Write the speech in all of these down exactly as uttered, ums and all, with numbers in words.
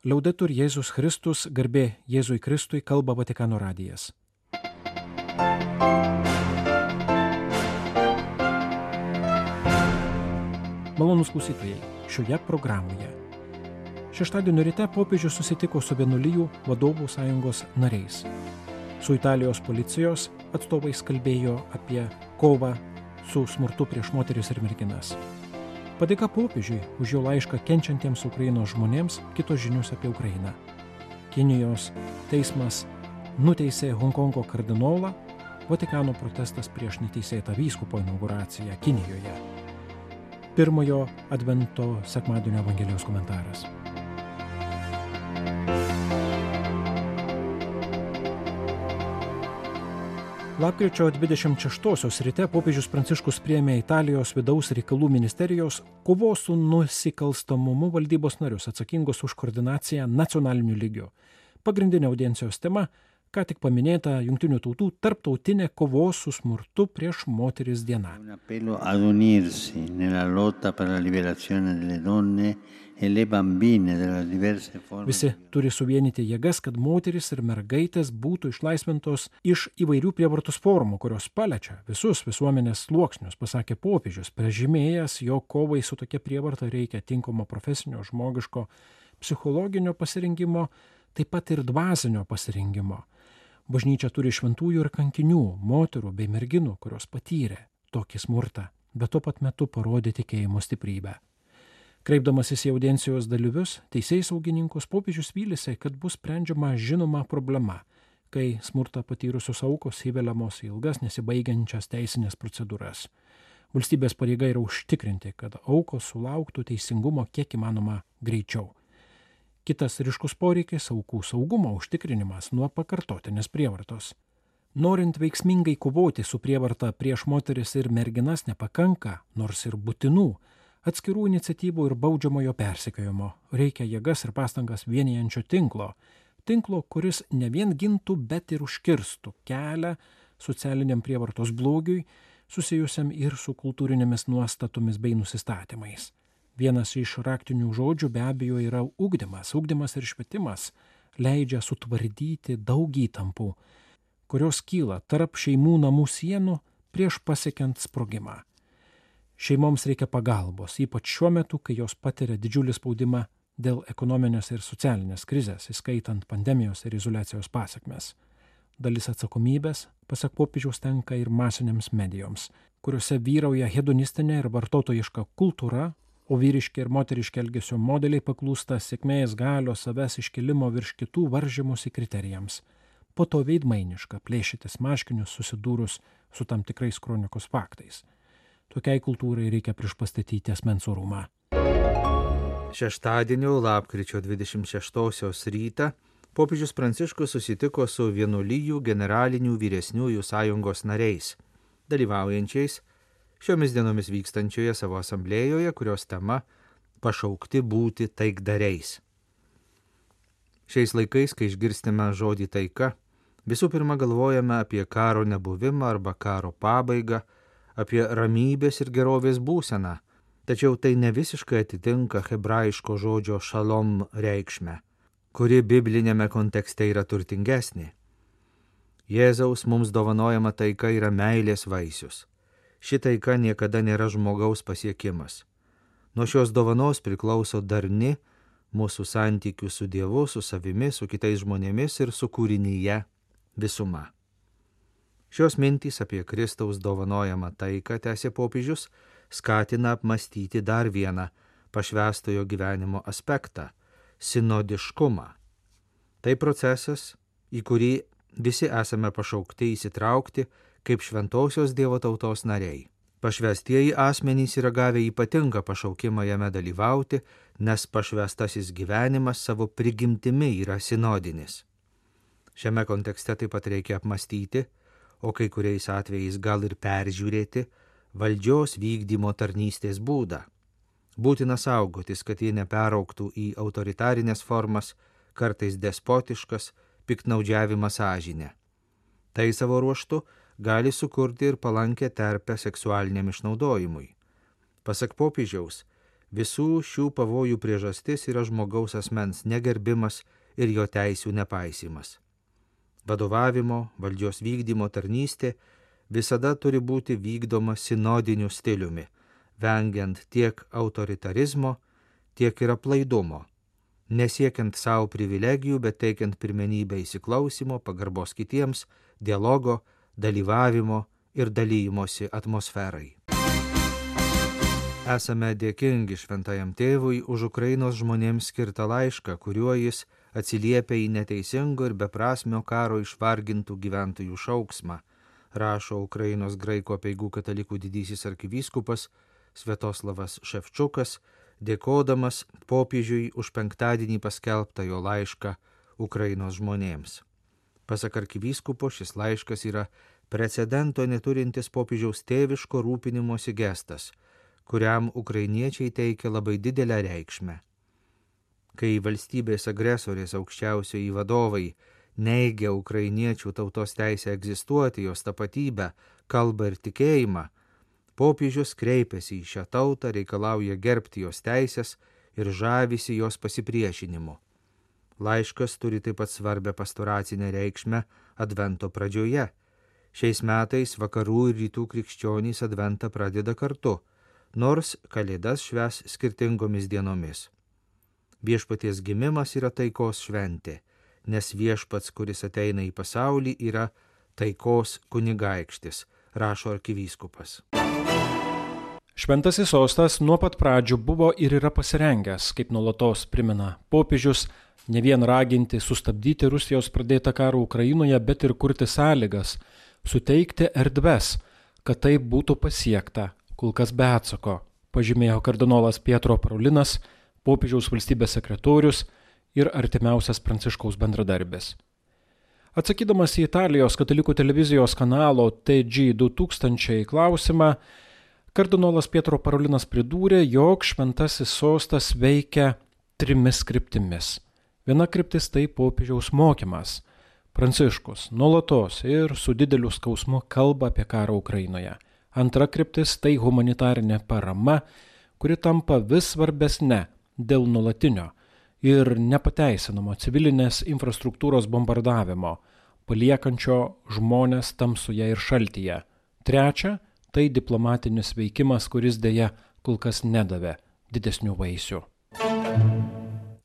Liaudetur Jėzus Kristus, garbė Jėzui Kristui, kalba Vatikano radijas. Malonūs klausytojai, šioje programoje. Šeštadienio ryte popiežius susitiko su vienuolijų vadovų sąjungos nariais. Su Italijos policijos atstovais kalbėjo apie kovą su smurtu prieš moteris ir merginas. Padėka popiežiui už jo laišką kenčiantiems Ukrainos žmonėms, kitos žinios apie Ukrainą. Kinijos teismas nuteisė Honkongo kardinolą, Vatikano protestas prieš neteisėtą vyskupo inauguraciją Kinijoje. Pirmojo advento sekmadienio Evangelijos komentaras. Lapkričio dvidešimt šeštosios ryte popiežius Pranciškus priėmė Italijos vidaus reikalų ministerijos kovos su nusikalstamumu valdybos narius atsakingus už koordinaciją nacionaliniu lygiu. Pagrindinė audiencijos tema - ką tik paminėta Jungtinių tautų tarptautinė kovos su smurtu prieš moteris diena. Un appello ad unirsi nella lotta per la liberazione delle donne e le bambine delle diverse forme. Visi turi suvienyti jėgas, kad moteris ir mergaitės būtų išlaisvintos iš įvairių prievartos formų, kurios paliečia visus visuomenės sluoksnius, pasakė popiežius, pažymėjęs, jog kovai su tokia prievarta reikia tinkamo profesinio, žmogiško, psichologinio pasirengimo, taip pat ir dvasinio pasirengimo. Bažnyčia turi šventųjų ir kankinių, moterų bei merginų, kurios patyrė tokį smurtą, bet tuo pat metu parodė tikėjimo stiprybę. Kreipdamasis į audiencijos dalyvius, teisėjsaugininkus, popiežius vylėsi, kad bus sprendžiama žinoma problema, kai smurtą patyrusios aukos įveliamos į ilgas nesibaigiančias teisinės procedūras. Valstybės pareiga yra užtikrinti, kad aukos sulauktų teisingumo kiek įmanoma greičiau. Kitas ryškus poreikis - aukų saugumo užtikrinimas nuo pakartotinės prievartos. Norint veiksmingai kovoti su prievarta prieš moteris ir merginas nepakanka, nors ir būtinų, atskirų iniciatyvų ir baudžiamojo persekiojimo. Reikia jėgas ir pastangas vienijančio tinklo. Tinklo, kuris ne vien gintų, bet ir užkirstų kelią socialiniam prievartos blogiui, susijusiam ir su kultūrinėmis nuostatomis bei nusistatymais. Vienas iš raktinių žodžių be abejo yra ugdymas. Ugdymas ir švietimas leidžia sutvardyti daug įtampų, kurios kyla tarp šeimų namų sienų prieš pasiekiant sprogimą. Šeimoms reikia pagalbos, ypač šiuo metu, kai jos patiria didžiulį spaudimą dėl ekonominės ir socialinės krizės, įskaitant pandemijos ir izoliacijos pasekmes. Dalis atsakomybės, pasak popiežiaus, tenka ir masinėms medijoms, kuriuose vyrauja hedonistinė ir vartotojiška kultūra, o vyriški ir moteriški elgesio modeliai paklūsta sėkmės, galios, savęs iškilimo virš kitų varžymosi kriterijams. Po to veidmainiška plėšytis marškinius susidūrus su tam tikrais kronikos faktais. Tokiai kultūrai reikia priešpastatyti asmens orumą. Šeštadienio lapkričio dvidešimt šeštosios rytą popiežius Pranciškus susitiko su vienuolijų generalinių vyresniųjų sąjungos nariais, dalyvaujančiais šiomis dienomis vykstančioje savo asamblėjoje, kurios tema - pašaukti būti taikdariais. Šiais laikais, kai išgirstame žodį taika, visų pirma galvojame apie karo nebuvimą arba karo pabaigą, apie ramybės ir gerovės būseną, tačiau tai ne visiškai atitinka hebrajiško žodžio šalom reikšmę, kuri biblinėme kontekste yra turtingesnė. Jėzaus mums dovanojama taika yra meilės vaisius. Ši taika niekada nėra žmogaus pasiekimas. Nuo šios dovanos priklauso darni mūsų santykių su Dievu, su savimi, su kitais žmonėmis ir su kūrinyje visuma. Šios mintys apie Kristaus dovanojamą taiką, tęsė popiežius, skatina apmastyti dar vieną pašvęstojo gyvenimo aspektą - sinodiškumą. Tai procesas, į kurį visi esame pašaukti įsitraukti kaip šventosios Dievo tautos nariai. Pašvęstieji asmenys yra gavę ypatingą pašaukimą jame dalyvauti, nes pašvęstasis gyvenimas savo prigimtimi yra sinodinis. Šiame kontekste taip pat reikia apmastyti, o kai kuriais atvejais gal ir peržiūrėti valdžios vykdymo tarnystės būdą. Būtina saugotis, kad jie neperaugtų į autoritarinės formas, kartais despotiškas, piktnaudžiavimą sąžinę. Tai savo ruožtu gali sukurti ir palankę terpę seksualiniam išnaudojimui. Pasak popiežiaus, Visų šių pavojų priežastis yra žmogaus asmens negerbimas ir jo teisių nepaisymas. Vadovavimo, valdžios vykdymo tarnystė visada turi būti vykdoma sinodiniu stiliumi, vengiant tiek autoritarizmo, tiek ir aplaidumo, nesiekiant savo privilegijų, bet teikiant pirmenybę įsiklausimo, pagarbos kitiems, dialogo, dalyvavimo ir dalymosi atmosferai. Esame dėkingi šventajam tėvui už Ukrainos žmonėms skirtą laišką, kuriuo jis atsiliepia į neteisingo ir beprasmio karo išvargintų gyventojų šauksmą, rašo Ukrainos graikų apeigų katalikų didysis arkivyskupas Sviatoslavas Ševčukas, dėkodamas popiežiui už penktadienį paskelbtą jo laišką Ukrainos žmonėms. Pasak arkivyskupo, šis laiškas yra precedento neturintis popiežiaus tėviško rūpinimosi gestas, kuriam ukrainiečiai teikia labai didelę reikšmę. Kai valstybės agresorės aukščiausioji vadovai neigia ukrainiečių tautos teisę egzistuoti, jos tapatybę, kalbą ir tikėjimą, popiežius kreipiasi į šią tautą, reikalauja gerbti jos teisės ir žavisi jos pasipriešinimu. Laiškas turi taip pat svarbę pastoracinę reikšmę advento pradžioje. Šiais metais vakarų ir rytų krikščionys adventą pradeda kartu, nors kalėdas švęs skirtingomis dienomis. Viešpaties gimimas yra taikos šventė, nes viešpats, kuris ateina į pasaulį, yra taikos kunigaikštis, rašo arkivyskupas. Šventasis sostas nuo pat pradžių buvo ir yra pasirengęs, kaip nuolatos primena popiežius, ne vien raginti sustabdyti Rusijos pradėtą karą Ukrainoje, bet ir kurti sąlygas, suteikti erdves, kad tai būtų pasiekta, kol kas be atsako, pažymėjo kardinolas Pietro Parolinas, popiežiaus valstybės sekretorius ir artimiausias Pranciškaus bendradarbis. Atsakydamas į Italijos katalikų televizijos kanalo T G du tūkstančiai klausimą, kardinolas Pietro Parolinas pridūrė, jog šventasis sostas veikia trimis kryptimis. Viena kryptis tai popiežiaus mokymas. Pranciškus nuolatos ir su dideliu skausmu kalba apie karą Ukrainoje. Antra kryptis tai humanitarinė parama, kuri tampa vis svarbesnė dėl nuolatinio ir nepateisinamo civilinės infrastruktūros bombardavimo, paliekančio žmonės tamsoje ir šaltyje. Trečia tai diplomatinis veikimas, kuris dėja kol kas nedavė didesnių vaisių.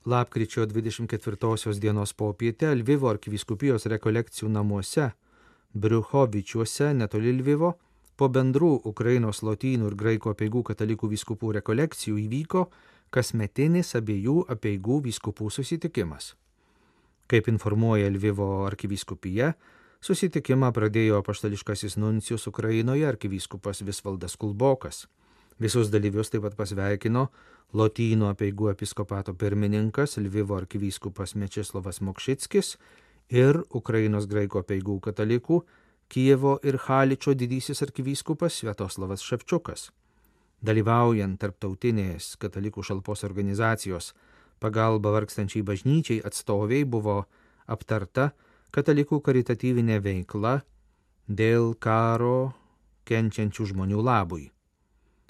Lapkričio dvidešimt ketvirtosios dienos popietę Lvivo arkivyskupijos rekolekcijų namuose, Briuchovičiuose, netoli Lvivo, po bendrų Ukrainos lotynų ir graikų apeigų katalikų vyskupų rekolekcijų įvyko kasmetinis abiejų apeigų vyskupų susitikimas. Kaip informuoja Lvivo arkivyskupija, susitikimą pradėjo apaštališkasis nuncijus Ukrainoje arkivyskupas Visvaldas Kulbokas. Visus dalyvius taip pat pasveikino lotynų apeigų episkopato pirmininkas Lvivo arkivyskupas Mečislovas Mokšickis ir Ukrainos graikų apeigų katalikų Kijevo ir Haličo didysis arkivyskupas Sviatoslavas Ševčukas. Dalyvaujant tarptautinės katalikų šalpos organizacijos pagalba vargstančiai bažnyčiai atstoviai buvo aptarta katalikų karitatyvinė veikla dėl karo kenčiančių žmonių labui.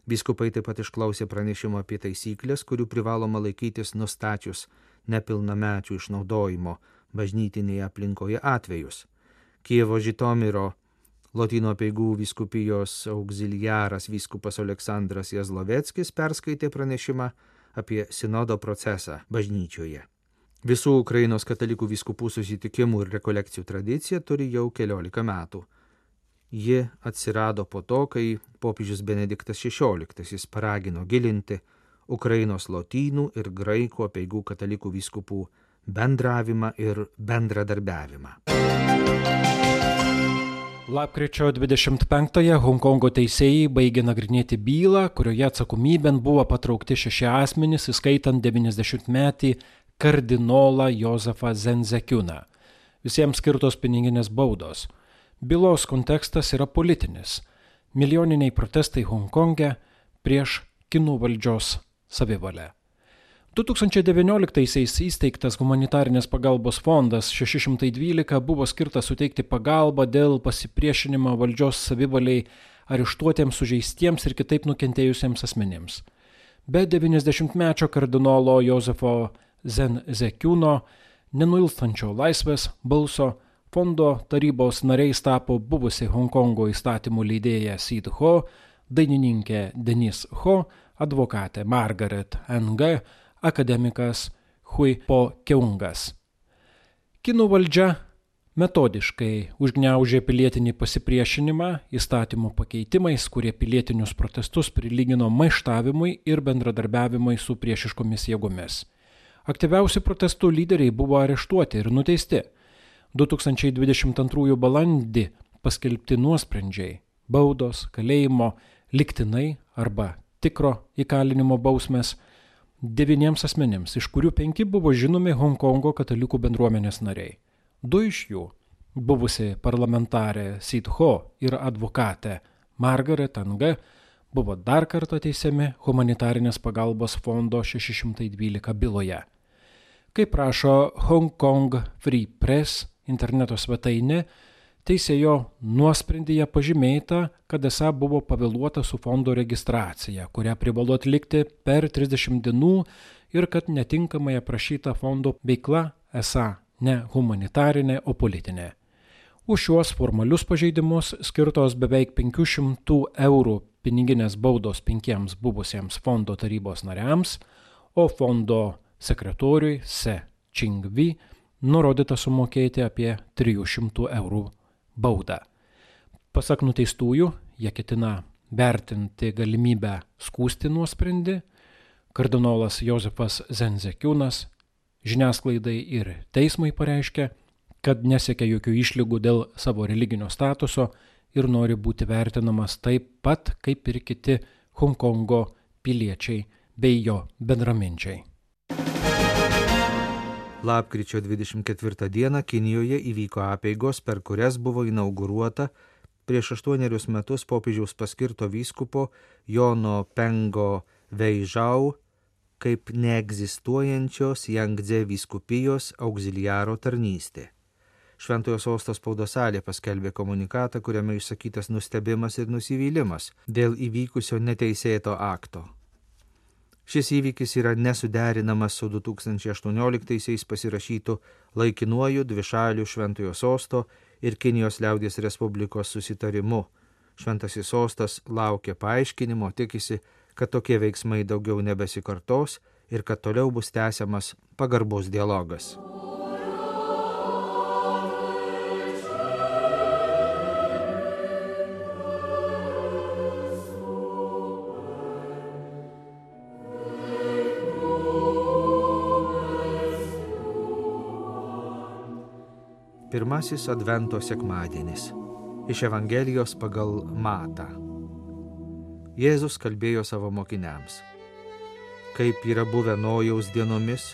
Vyskupai taip pat išklausė pranešimo apie taisyklės, kurių privaloma laikytis nustačius nepilnamečių išnaudojimo bažnytinėje aplinkoje atvejus. Kijevo Žitomiro lotynų apeigų vyskupijos auxiliaras vyskupas Aleksandras Jazloveckis perskaitė pranešimą apie sinodo procesą bažnyčioje. Visų Ukrainos katalikų vyskupų susitikimų ir rekolekcijų tradicija turi jau keliolika metų. Ji atsirado po to, kai popiežius Benediktas šešioliktasis paragino gilinti Ukrainos lotynų ir graikų apeigų katalikų vyskupų bendravimą ir bendradarbiavimą. Lapkričio dvidešimt penktąją Honkongo teisėjai baigė nagrinėti bylą, kurioje atsakomybėn buvo patraukti šeši asmenys, įskaitant devyniasdešimtmetį kardinolą Jozefą Zenzekiuną. Visiems skirtos piniginės baudos. Bylos kontekstas yra politinis. Milijoniniai protestai Honkonge prieš kinų valdžios savivalę. du tūkstančiai devynioliktaisiais įsteigtas humanitarinės pagalbos fondas šeši šimtai dvylika buvo skirtas suteikti pagalbą dėl pasipriešinimo valdžios savivaliai areštuotiems, sužeistiems ir kitaip nukentėjusiems asmenims. Be devyniasdešimtmečio kardinolo Jozefo Zenzekiūno nenuilstančio laisvės balso fondo tarybos nariais tapo buvusi Honkongo įstatymų leidėja Sid Ho, dainininkė Denise Ho, advokatė Margaret Ng, akademikas Hui Po Keungas. Kinų valdžia metodiškai užgniaužė pilietinį pasipriešinimą įstatymų pakeitimais, kurie pilietinius protestus prilygino maištavimui ir bendradarbiavimui su priešiškomis jėgomis. Aktyviausi protestų lyderiai buvo areštuoti ir nuteisti. du tūkstančiai dvidešimt antrųjų balandį paskelbti nuosprendžiai, baudos, kalėjimo, lygtinai arba tikro įkalinimo bausmės devyniems asmenims, iš kurių penki buvo žinomi Honkongo katalikų bendruomenės nariai. Du iš jų, buvusi parlamentarė Sid Ho ir advokatė Margaret Ng, buvo dar kartą teisiami humanitarinės pagalbos fondo šeši šimtai dvylika byloje. Kaip rašo Hong Kong Free Press interneto svetainė, teisėjo nuosprendyje pažymėta, kad esą buvo pavėluota su fondo registracija, kurią privalo atlikti per trisdešimt dienų ir kad netinkamai aprašyta fondo veikla esą ne humanitarinė, o politinė. Už šiuos formalius pažeidimus skirtos beveik penkių šimtų eurų piniginės baudos penkiems buvusiems fondo tarybos nariams, o fondo sekretoriui Se Chingvi nurodyta sumokėti apie trijų šimtų eurų baudą. Pasak nuteistųjų, jie ketina vertinti galimybę skųsti nuosprendį. Kardinolas Jozefas Zenzekiūnas žiniasklaidai ir teismui pareiškė, kad nesiekia jokių išlygų dėl savo religinio statuso ir nori būti vertinamas taip pat kaip ir kiti Honkongo piliečiai bei jo bendraminčiai. Lapkričio dvidešimt ketvirtą dieną Kinijoje įvyko apeigos, per kurias buvo inauguruota prieš aštuonerius metus popiežiaus paskirto vyskupo Jono Pengo Veižau kaip neegzistuojančios Jangdze vyskupijos auxiliaro tarnystė. Šventojo sosto spaudos salė paskelbė komunikatą, kuriame išsakytas nustebimas ir nusivylimas dėl įvykusio neteisėto akto. Šis įvykis yra nesuderinamas su du tūkstančiai aštuonioliktaisiais pasirašytu laikinuoju dvišaliu Šventojo sosto ir Kinijos liaudies Respublikos susitarimu. Šventasis sostas laukia paaiškinimo, tikisi, kad tokie veiksmai daugiau nebesikartos ir kad toliau bus tęsiamas pagarbus dialogas. Pirmasis Advento sekmadienis. Iš Evangelijos pagal Matą. Jėzus kalbėjo savo mokiniams. Kaip yra buvę Nojaus dienomis,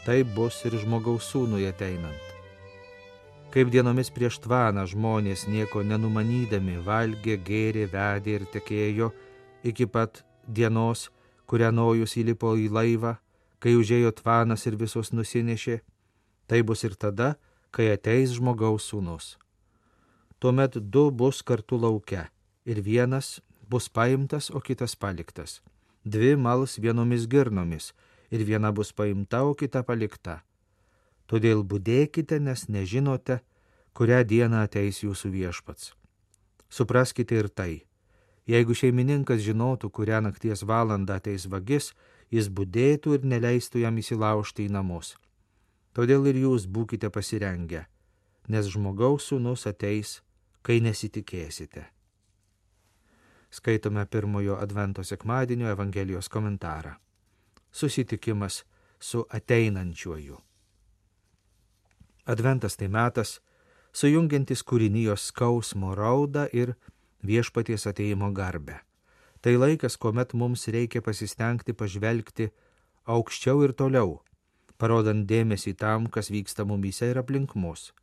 taip bus ir žmogaus sūnui ateinant. Kaip dienomis prieš tvaną žmonės nieko nenumanydami valgė, gėrė, vedė ir tekėjo iki pat dienos, kurią Nojus įlipo į laivą, kai užėjo tvanas ir visus nusinešė, tai bus ir tada, kai ateis žmogaus sūnus. Tuomet du bus kartu lauke, ir vienas bus paimtas, o kitas paliktas. Dvi mals vienomis girnomis, ir viena bus paimta, o kita palikta. Todėl budėkite, nes nežinote, kurią dieną ateis jūsų viešpats. Supraskite ir tai. Jeigu šeimininkas žinotų, kurią nakties valandą ateis vagis, jis budėtų ir neleistų jam įsilaužti į namus. Todėl ir jūs būkite pasirengę, nes žmogaus sūnus ateis, kai nesitikėsite. Skaitome pirmojo Advento sekmadienio Evangelijos komentarą. Susitikimas su ateinančiuoju. Adventas tai metas, sujungiantis kūrinijos skausmo raudą ir viešpaties ateimo garbę. Tai laikas, kuomet mums reikia pasistengti pažvelgti aukščiau ir toliau, parodant dėmesį tam, kas vyksta mumyse ir aplink mus.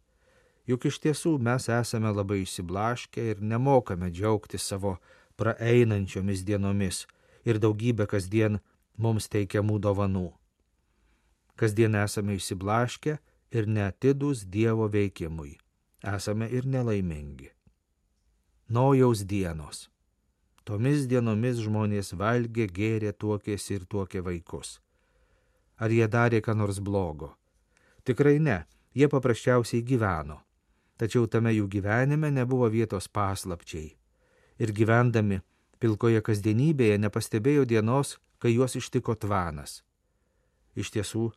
Juk iš tiesų mes esame labai išsiblaškę ir nemokame džiaugtis savo praeinančiomis dienomis ir daugybę kasdien mums teikiamų dovanų. Kasdien esame išsiblaškę ir neatidūs Dievo veikimui. Esame ir nelaimingi. Nojaus dienos. Tomis dienomis žmonės valgė, gėrė, tuokėsi ir tuokė vaikus. Ar jie darė ką nors blogo? Tikrai ne, jie paprasčiausiai gyveno. Tačiau tame jų gyvenime nebuvo vietos paslapčiai. Ir gyvendami pilkoje kasdienybėje nepastebėjo dienos, kai juos ištiko tvanas. Iš tiesų,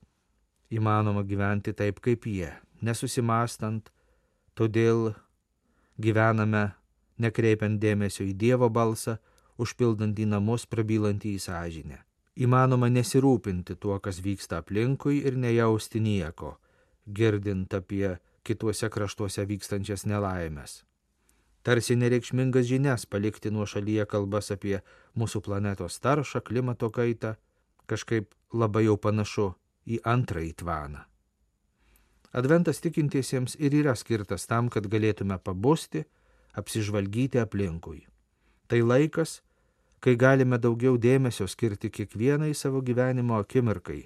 įmanoma gyventi taip kaip jie, nesusimastant, todėl gyvename nekreipiant dėmesio į Dievo balsą, užpildant į namus, prabylantį į sąžinę. Įmanoma nesirūpinti tuo, kas vyksta aplinkui ir nejausti nieko, girdint apie kituose kraštuose vykstančias nelaimės. Tarsi nereikšmingas žinias palikti nuo šalyje kalbas apie mūsų planetos taršą, klimato kaitą, kažkaip labai jau panašu į antrąjį tvaną. Adventas tikintiesiems ir yra skirtas tam, kad galėtume pabusti, apsižvalgyti aplinkui. Tai laikas, kai galime daugiau dėmesio skirti kiekvienai savo gyvenimo akimirkai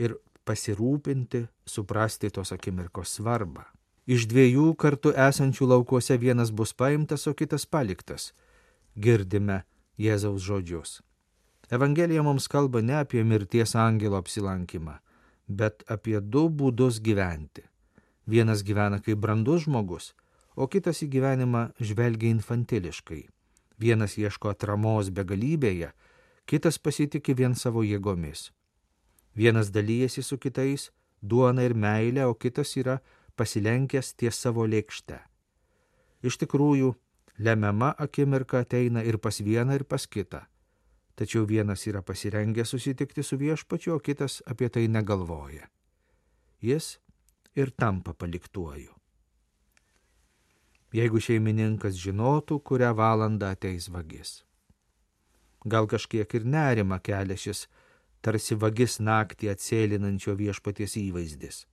ir pasirūpinti, suprasti tos akimirkos svarbą. Iš dviejų kartu esančių laukuose vienas bus paimtas, o kitas paliktas. Girdime Jėzaus žodžius. Evangelija mums kalba ne apie mirties angelo apsilankymą, bet apie du būdus gyventi. Vienas gyvena kaip brandus žmogus, o kitas į gyvenimą žvelgia infantiliškai. Vienas ieško atramos begalybėje, kitas pasitiki vien savo jėgomis. Vienas dalyjasi su kitais duona ir meilė, o kitas yra pasilenkęs ties savo lėkšte. Iš tikrųjų, lemiama akimirka ateina ir pas vieną, ir pas kitą. Tačiau vienas yra pasirengęs susitikti su viešpačiu, o kitas apie tai negalvoja. Jis ir tampa paliktuoju. Jeigu šeimininkas žinotų, kurią valandą ateis vagis. Gal kažkiek ir nerima kelia šis tarsi vagis naktį atsėlinančio viešpaties įvaizdis.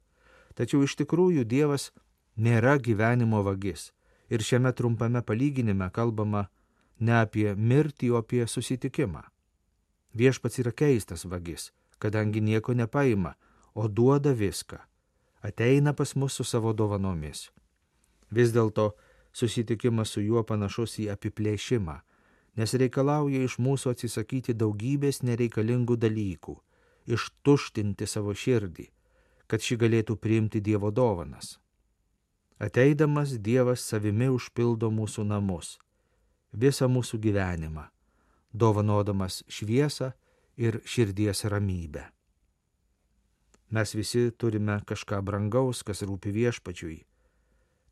Tačiau iš tikrųjų Dievas nėra gyvenimo vagis ir šiame trumpame palyginime kalbama ne apie mirtį, o apie susitikimą. Viešpats yra keistas vagis, kadangi nieko nepaima, o duoda viską. Ateina pas mus su savo dovanomis. Vis dėlto susitikimas su juo panašus į apiplėšimą, nes reikalauja iš mūsų atsisakyti daugybės nereikalingų dalykų, ištuštinti savo širdį, kad ši galėtų priimti Dievo dovanas. Ateidamas Dievas savimi užpildo mūsų namus, visą mūsų gyvenimą, dovanodamas šviesą ir širdies ramybę. Mes visi turime kažką brangaus, kas rūpi viešpačiui,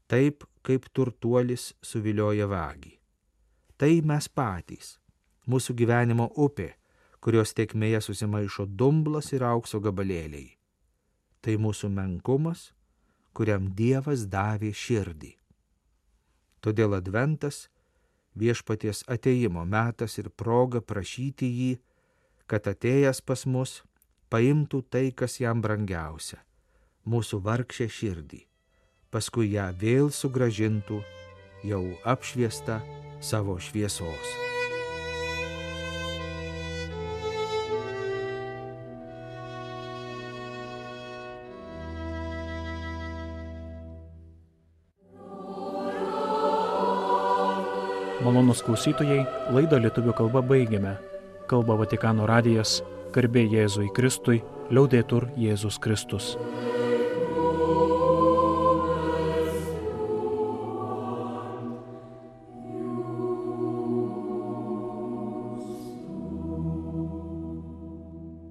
taip kaip turtuolis suvilioja vagį. Tai mes patys, mūsų gyvenimo upė, kurios tėkmėje susimaišo dumblas ir aukso gabalėliai. Tai mūsų menkumas, kuriam Dievas davė širdį. Todėl adventas viešpaties atėjimo metas ir proga prašyti jį, kad atėjęs pas mus paimtų tai, kas jam brangiausia, mūsų vargšę širdį, paskui ją vėl sugrąžintų, jau apšviestą savo šviesos. Malonūs klausytojai, laidą lietuvių kalba baigiame. Kalba Vatikano radijas, garbė Jėzui Kristui, liaudetur Jėzus Kristus.